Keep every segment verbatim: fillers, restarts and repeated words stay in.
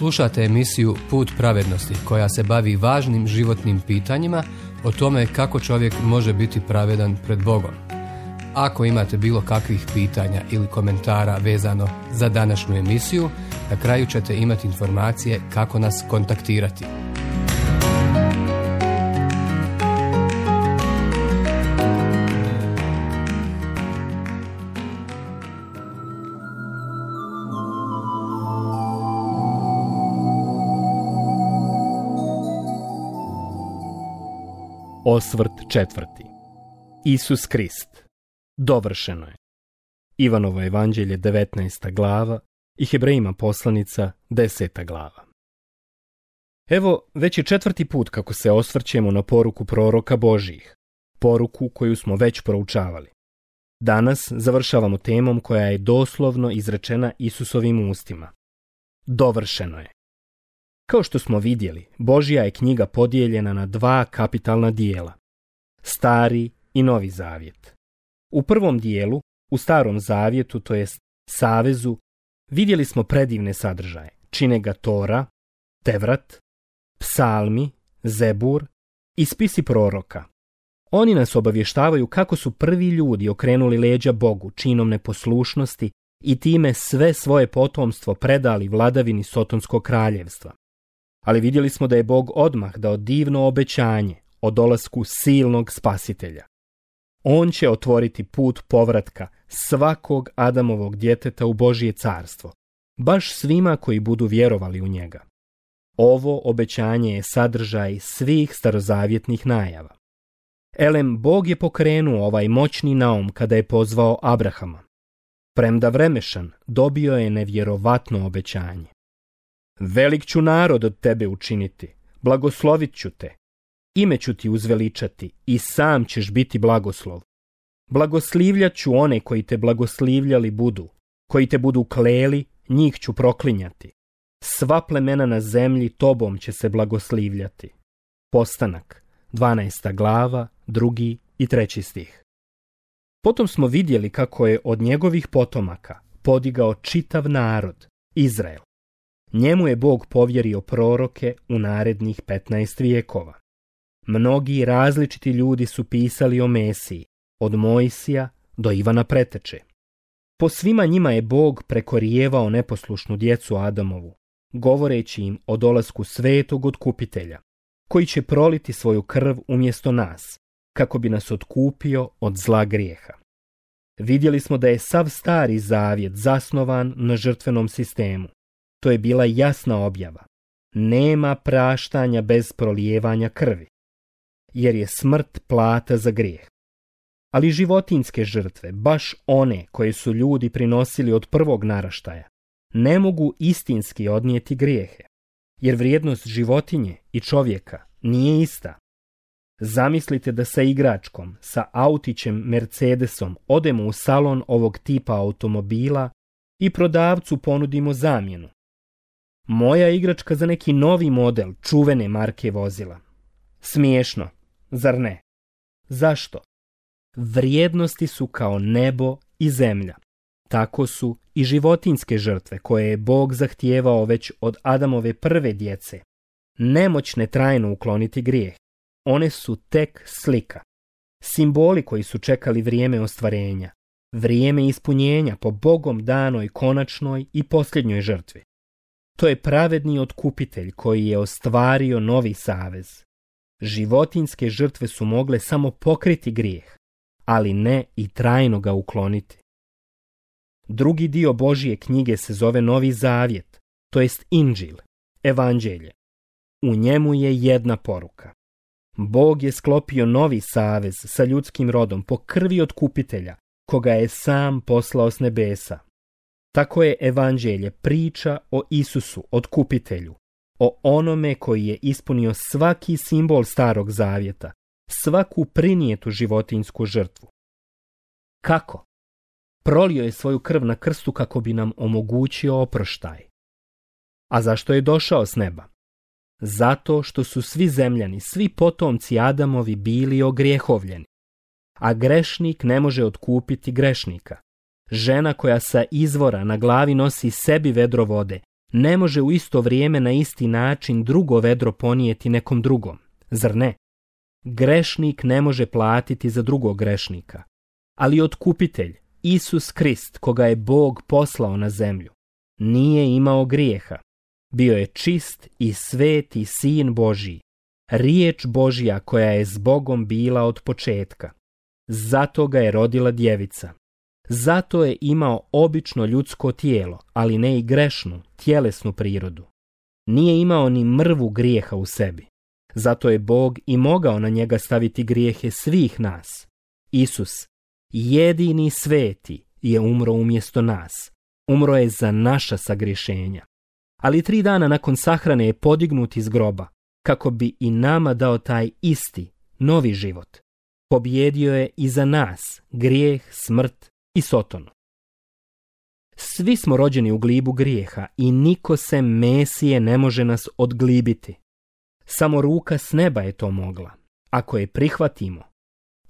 Slušate emisiju Put pravednosti koja se bavi važnim životnim pitanjima o tome kako čovjek može biti pravedan pred Bogom. Ako imate bilo kakvih pitanja ili komentara vezano za današnju emisiju, na kraju ćete imati informacije kako nas kontaktirati. Osvrt četvrti. Isus Krist. Dovršeno je. Ivanovo evanđelje devetnaesta glava i Hebrejima poslanica deseta glava. Evo, već je četvrti put kako se osvrćemo na poruku proroka Božjih, poruku koju smo već proučavali. Danas završavamo temom koja je doslovno izrečena Isusovim ustima. Dovršeno je. Kao što smo vidjeli, Božja je knjiga podijeljena na dva kapitalna dijela, Stari i Novi zavjet. U prvom dijelu, u Starom zavjetu, to jest Savezu, vidjeli smo predivne sadržaje, čine ga Tora, Tevrat, Psalmi, Zebur i spisi proroka. Oni nas obavještavaju kako su prvi ljudi okrenuli leđa Bogu činom neposlušnosti i time sve svoje potomstvo predali vladavini Sotonskog kraljevstva. Ali vidjeli smo da je Bog odmah dao divno obećanje o dolasku silnog spasitelja. On će otvoriti put povratka svakog Adamovog djeteta u Božje carstvo, baš svima koji budu vjerovali u njega. Ovo obećanje je sadržaj svih starozavjetnih najava. Elem, Bog je pokrenuo ovaj moćni naum kada je pozvao Abrahama. Premda vremešan, dobio je nevjerovatno obećanje. Velik ću narod od tebe učiniti, blagoslovit ću te, ime ću ti uzveličati i sam ćeš biti blagoslov. Blagoslivljat ću one koji te blagoslivljali budu, koji te budu kleli, njih ću proklinjati. Sva plemena na zemlji tobom će se blagoslivljati. Postanak, dvanaesta glava, drugi i treći stih. Potom smo vidjeli kako je od njegovih potomaka podigao čitav narod, Izrael. Njemu je Bog povjerio proroke u narednih petnaest vijekova. Mnogi različiti ljudi su pisali o Mesiji, od Mojsija do Ivana Preteče. Po svima njima je Bog prekorijevao neposlušnu djecu Adamovu, govoreći im o dolasku svetog otkupitelja, koji će proliti svoju krv umjesto nas, kako bi nas otkupio od zla grijeha. Vidjeli smo da je sav Stari zavjet zasnovan na žrtvenom sistemu. To je bila jasna objava. Nema praštanja bez prolijevanja krvi, jer je smrt plata za grijeh. Ali životinjske žrtve, baš one koje su ljudi prinosili od prvog naraštaja, ne mogu istinski odnijeti grijehe, jer vrijednost životinje i čovjeka nije ista. Zamislite da sa igračkom, sa autićem Mercedesom odemo u salon ovog tipa automobila i prodavcu ponudimo zamjenu. Moja igračka za neki novi model čuvene marke vozila. Smiješno, zar ne? Zašto? Vrijednosti su kao nebo i zemlja. Tako su i životinjske žrtve koje je Bog zahtijevao već od Adamove prve djece. Nemoćne trajno ukloniti grijeh. One su tek slika. Simboli koji su čekali vrijeme ostvarenja. Vrijeme ispunjenja po Bogom danoj konačnoj i posljednjoj žrtvi. To je pravedni otkupitelj koji je ostvario novi savez. Životinjske žrtve su mogle samo pokriti grijeh, ali ne i trajno ga ukloniti. Drugi dio Božje knjige se zove Novi zavjet, to jest Inđil, evanđelje. U njemu je jedna poruka. Bog je sklopio novi savez sa ljudskim rodom po krvi otkupitelja, koga je sam poslao s nebesa. Tako je evanđelje priča o Isusu, otkupitelju, o onome koji je ispunio svaki simbol Starog zavjeta, svaku prinijetu životinjsku žrtvu. Kako? Prolio je svoju krv na krstu kako bi nam omogućio oproštaj. A zašto je došao s neba? Zato što su svi zemljani, svi potomci Adamovi bili ogrijehovljeni. A grešnik ne može otkupiti grešnika. Žena koja sa izvora na glavi nosi sebi vedro vode ne može u isto vrijeme na isti način drugo vedro ponijeti nekom drugom, zar ne? Grešnik ne može platiti za drugog grešnika, ali otkupitelj, Isus Krist, koga je Bog poslao na zemlju, nije imao grijeha. Bio je čist i sveti sin Božji, riječ Božja koja je s Bogom bila od početka. Zato ga je rodila djevica. Zato je imao obično ljudsko tijelo, ali ne i grešnu, tjelesnu prirodu. Nije imao ni mrvu grijeha u sebi. Zato je Bog i mogao na njega staviti grijehe svih nas. Isus, jedini sveti, je umro umjesto nas. Umro je za naša sagriješenja. Ali tri dana nakon sahrane je podignut iz groba, kako bi i nama dao taj isti, novi život. Pobjedio je i za nas grijeh, smrt i sotonu. Svi smo rođeni u glibu grijeha i niko sem Mesije ne može nas odglibiti. Samo ruka s neba je to mogla. Ako je prihvatimo,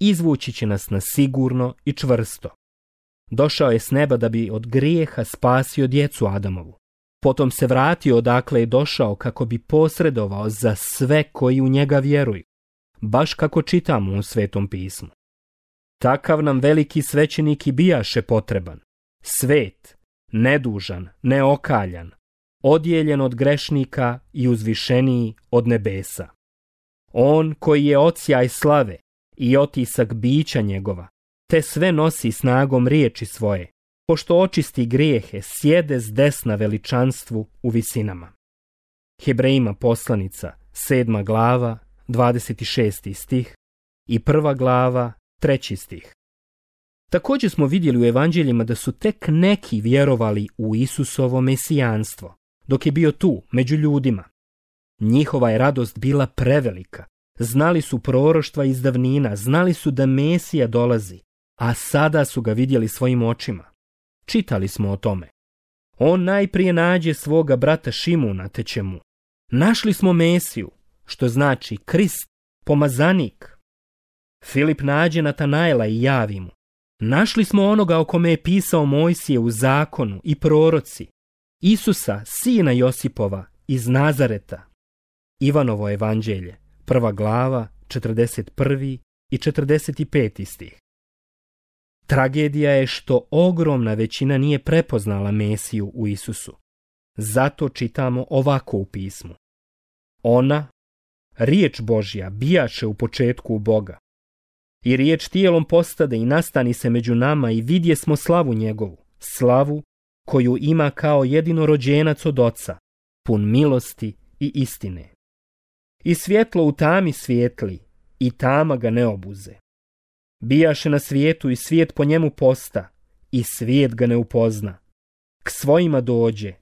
izvući će nas na sigurno i čvrsto. Došao je s neba da bi od grijeha spasio djecu Adamovu. Potom se vratio odakle je došao kako bi posredovao za sve koji u njega vjeruju, baš kako čitamo u Svetom pismu. Takav nam veliki svećenik i bijaše potreban, svet, nedužan, neokaljan, odjeljen od grešnika i uzvišeniji od nebesa. On koji je odsjaj slave i otisak bića njegova, te sve nosi snagom riječi svoje, pošto očisti grijehe, sjede s desna veličanstvu u visinama. Hebrejima poslanica, sedma glava, dvadeset šesti stih i prva glava, treći stih. Također smo vidjeli u evanđeljima da su tek neki vjerovali u Isusovo mesijanstvo, dok je bio tu, među ljudima. Njihova je radost bila prevelika. Znali su proroštva iz davnina, znali su da Mesija dolazi, a sada su ga vidjeli svojim očima. Čitali smo o tome. On najprije nađe svoga brata Šimuna, te će mu: našli smo Mesiju, što znači Krist, pomazanik. Filip nađe Natanaela i javi mu: našli smo onoga o kome je pisao Mojsije u zakonu i proroci, Isusa, sina Josipova, iz Nazareta. Ivanovo evanđelje, prva glava, četrdeset prvi i četrdeset peti stih. Tragedija je što ogromna većina nije prepoznala Mesiju u Isusu. Zato čitamo ovako u pismu: ona, riječ Božja, bijaše u početku u Boga. I riječ tijelom postade i nastani se među nama i vidje smo slavu njegovu, slavu koju ima kao jedinorođenac od Oca, pun milosti i istine. I svjetlo u tami svijetli, i tama ga ne obuze. Bijaše na svijetu i svijet po njemu posta, i svijet ga ne upozna. K svojima dođe,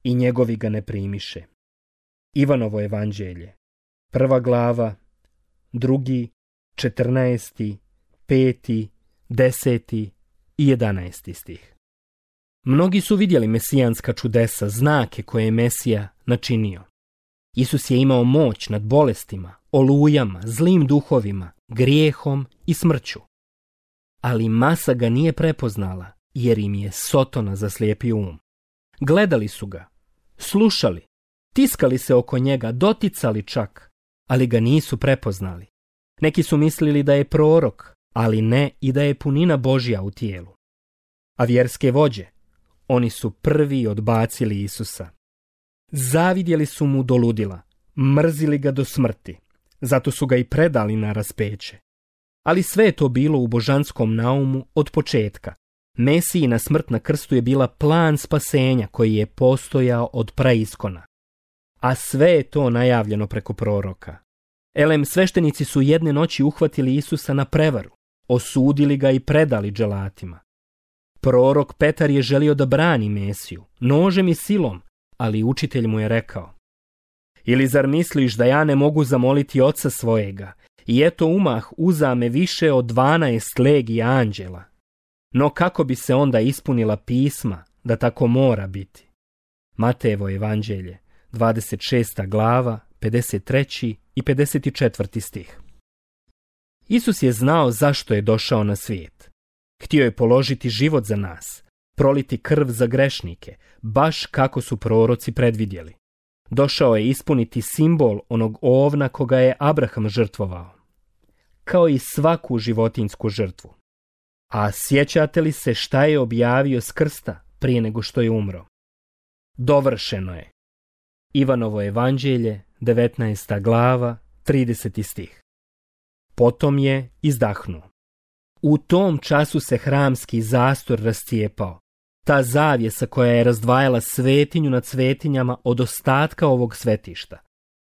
i njegovi ga ne primiše. Ivanovo evanđelje, prva glava, drugi, četrnaesti, peti, deseti i jedanaesti stih. Mnogi su vidjeli mesijanska čudesa, znake koje je Mesija načinio. Isus je imao moć nad bolestima, olujama, zlim duhovima, grijehom i smrću. Ali masa ga nije prepoznala, jer im je sotona zaslijepio um. Gledali su ga, slušali, tiskali se oko njega, doticali čak, ali ga nisu prepoznali. Neki su mislili da je prorok, ali ne i da je punina Božja u tijelu. A vjerske vođe, oni su prvi odbacili Isusa. Zavidjeli su mu do ludila, mrzili ga do smrti, zato su ga i predali na raspeće. Ali sve je to bilo u božanskom naumu od početka. Mesijina smrt na krstu je bila plan spasenja koji je postojao od praiskona. A sve je to najavljeno preko proroka. Elem, sveštenici su jedne noći uhvatili Isusa na prevaru, osudili ga i predali dželatima. Prorok Petar je želio da brani Mesiju, nožem i silom, ali učitelj mu je rekao: ili zar misliš da ja ne mogu zamoliti oca svojega, i eto umah uzame više od dvanaest legija anđela? No kako bi se onda ispunila pisma da tako mora biti? Matejevo evanđelje, dvadeset šesta glava, pedeset treći i pedeset četvrti stih. Isus je znao zašto je došao na svijet. Htio je položiti život za nas, proliti krv za grešnike, baš kako su proroci predvidjeli. Došao je ispuniti simbol onog ovna koga je Abraham žrtvovao, kao i svaku životinjsku žrtvu. A sjećate li se šta je objavio s krsta prije nego što je umro? Dovršeno je. Ivanovo evanđelje, devetnaesta glava, trideseti stih. Potom je izdahnuo. U tom času se hramski zastor rascijepao. Ta zavjesa koja je razdvajala svetinju nad svetinjama od ostatka ovog svetišta.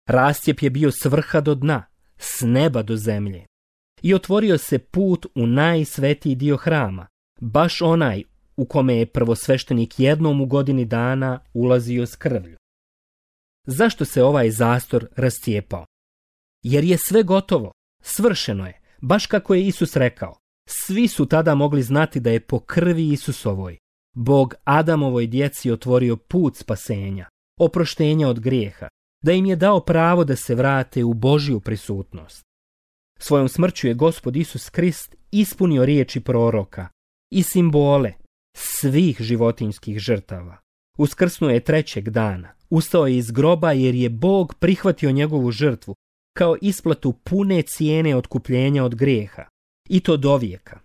Rascijep je bio s vrha do dna, s neba do zemlje. I otvorio se put u najsvetiji dio hrama, baš onaj u kome je prvosveštenik jednom u godini dana ulazio s krvlju. Zašto se ovaj zastor rascijepao? Jer je sve gotovo, svršeno je, baš kako je Isus rekao. Svi su tada mogli znati da je po krvi Isusovoj Bog Adamovoj djeci otvorio put spasenja, oproštenja od grijeha, da im je dao pravo da se vrate u Božju prisutnost. Svojom smrću je Gospod Isus Krist ispunio riječi proroka i simbole svih životinjskih žrtava. Uskrsnuo je trećeg dana, ustao je iz groba jer je Bog prihvatio njegovu žrtvu kao isplatu pune cijene otkupljenja od grijeha, i to dovijeka.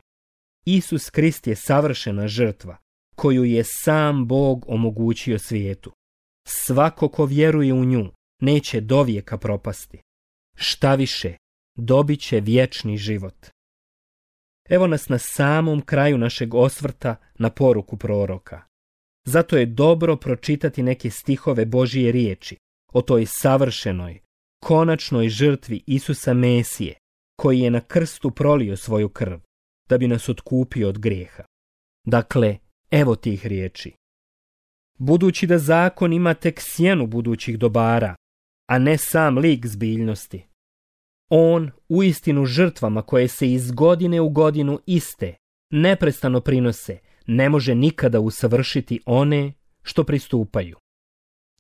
Isus Krist je savršena žrtva koju je sam Bog omogućio svijetu. Svako ko vjeruje u nju neće dovijeka propasti. Šta više, dobit će vječni život. Evo nas na samom kraju našeg osvrta na poruku proroka. Zato je dobro pročitati neke stihove Božije riječi o toj savršenoj, konačnoj žrtvi Isusa Mesije, koji je na krstu prolio svoju krv, da bi nas otkupio od grijeha. Dakle, evo tih riječi. Budući da zakon ima tek sjenu budućih dobara, a ne sam lik zbiljnosti, on uistinu žrtvama koje se iz godine u godinu iste, neprestano prinose, ne može nikada usavršiti one što pristupaju.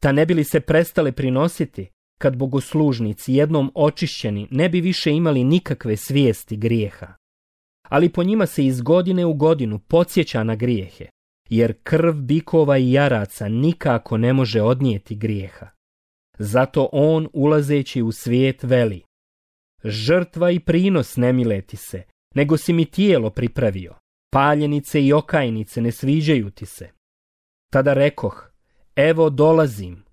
Ta ne bi li se prestale prinositi, kad bogoslužnici jednom očišćeni ne bi više imali nikakve svijesti grijeha. Ali po njima se iz godine u godinu podsjeća na grijehe, jer krv bikova i jaraca nikako ne može odnijeti grijeha. Zato on, ulazeći u svijet, veli: žrtva i prinos ne mile ti se, nego si mi tijelo pripravio, paljenice i okajnice ne sviđaju ti se. Tada rekoh: evo dolazim,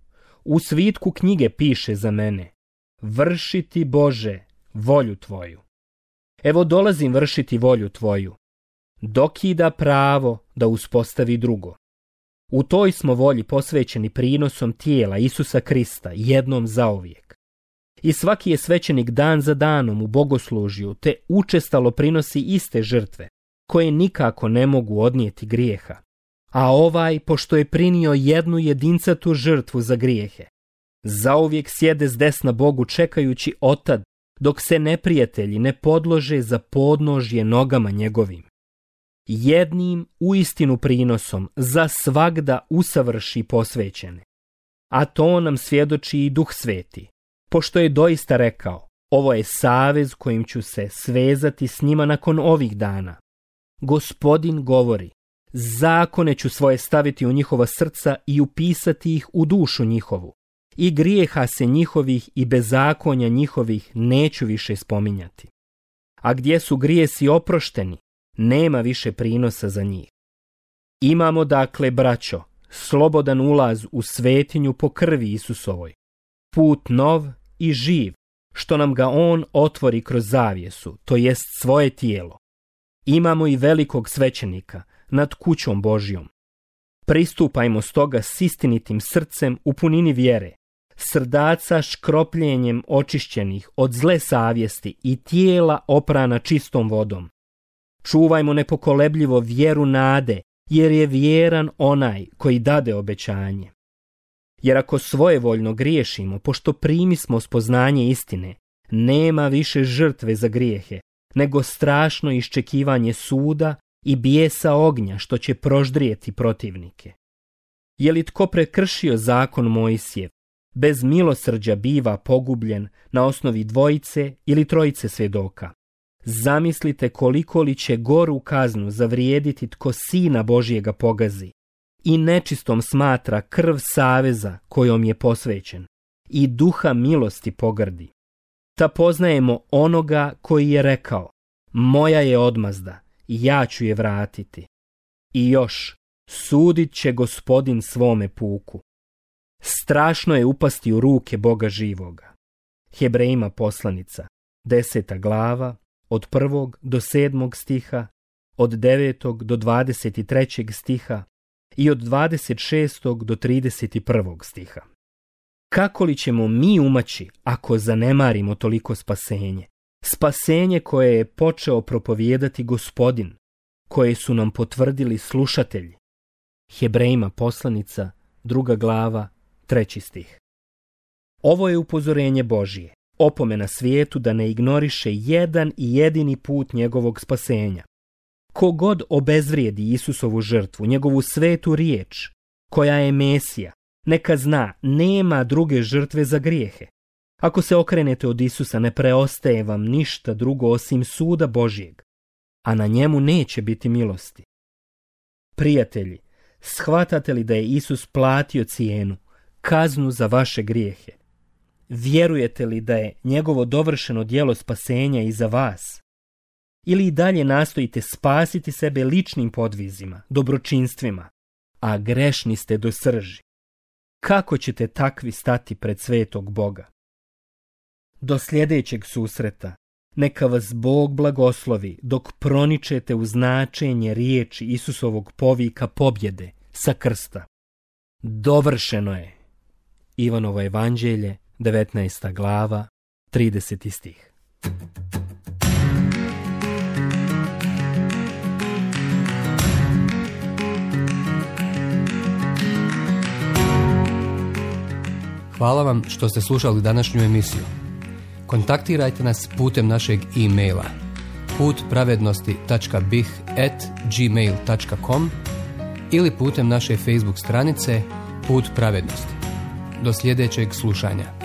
u svitku knjige piše za mene: vršiti, Bože, volju tvoju. Evo dolazim vršiti volju tvoju. Dokida pravo da uspostavi drugo. U toj smo volji posvećeni prinosom tijela Isusa Krista jednom zauvijek. I svaki je svećenik dan za danom u bogoslužju, te učestalo prinosi iste žrtve, koje nikako ne mogu odnijeti grijeha. A ovaj, pošto je prinio jednu jedincatu žrtvu za grijehe, zauvijek sjede s desna Bogu čekajući otad, dok se neprijatelji ne podlože za podnožje nogama njegovim. Jednim uistinu prinosom za svagda usavrši posvećene. A to nam svjedoči i Duh Sveti, pošto je doista rekao: ovo je savez kojim ću se svezati s njima nakon ovih dana. Gospodin govori: zakone ću svoje staviti u njihova srca i upisati ih u dušu njihovu. I grijeha se njihovih i bezakonja njihovih neću više spominjati. A gdje su grijesi oprošteni, nema više prinosa za njih. Imamo dakle, braćo, slobodan ulaz u svetinju po krvi Isusovoj, put nov i živ, što nam ga on otvori kroz zavjesu, to jest svoje tijelo. Imamo i velikog svećenika nad kućom Božjom. Pristupajmo stoga s istinitim srcem u punini vjere, srdaca škropljenjem očišćenih od zle savjesti i tijela oprana čistom vodom. Čuvajmo nepokolebljivo vjeru nade, jer je vjeran onaj koji dade obećanje. Jer ako svojevoljno griješimo, pošto primismo spoznanje istine, nema više žrtve za grijehe, nego strašno iščekivanje suda i bijesa ognja što će proždrijeti protivnike. Je li tko prekršio zakon Mojsijev, bez milosrđa biva pogubljen na osnovi dvojice ili trojice svjedoka. Zamislite koliko li će goru kaznu zavrijediti tko Sina Božjega pogazi i nečistom smatra krv saveza kojom je posvećen i duha milosti pogrdi. Ta poznajemo onoga koji je rekao: moja je odmazda, ja ću je vratiti. I još, sudit će Gospodin svome puku. Strašno je upasti u ruke Boga živoga. Hebrejima poslanica, deseta glava, od prvog do sedmog stiha, od devetog do dvadeset trećeg stiha i od dvadeset šestog do trideset prvog stiha. Kako li ćemo mi umaći ako zanemarimo toliko spasenje? Spasenje koje je počeo propovijedati Gospodin, koje su nam potvrdili slušatelji. Hebrejima poslanica, druga glava, treći stih. Ovo je upozorenje Božije, opomena svijetu da ne ignoriše jedan i jedini put njegovog spasenja. Kogod obezvrijedi Isusovu žrtvu, njegovu svetu riječ, koja je Mesija, neka zna, nema druge žrtve za grijehe. Ako se okrenete od Isusa, ne preostaje vam ništa drugo osim suda Božjeg, a na njemu neće biti milosti. Prijatelji, shvatate li da je Isus platio cijenu, kaznu za vaše grijehe? Vjerujete li da je njegovo dovršeno djelo spasenja i za vas? Ili i dalje nastojite spasiti sebe ličnim podvizima, dobročinstvima, a grešni ste do srži? Kako ćete takvi stati pred svetog Boga? Do sljedećeg susreta neka vas Bog blagoslovi dok proničete u značenje riječi Isusovog povika pobjede sa krsta. Dovršeno je. Ivanovo evanđelje, devetnaesta glava, trideseti stih. Hvala vam što ste slušali današnju emisiju. Kontaktirajte nas putem našeg e-maila put pravednosti tačka b i h at gmail tačka com ili putem naše Facebook stranice Put pravednosti. Do sljedećeg slušanja.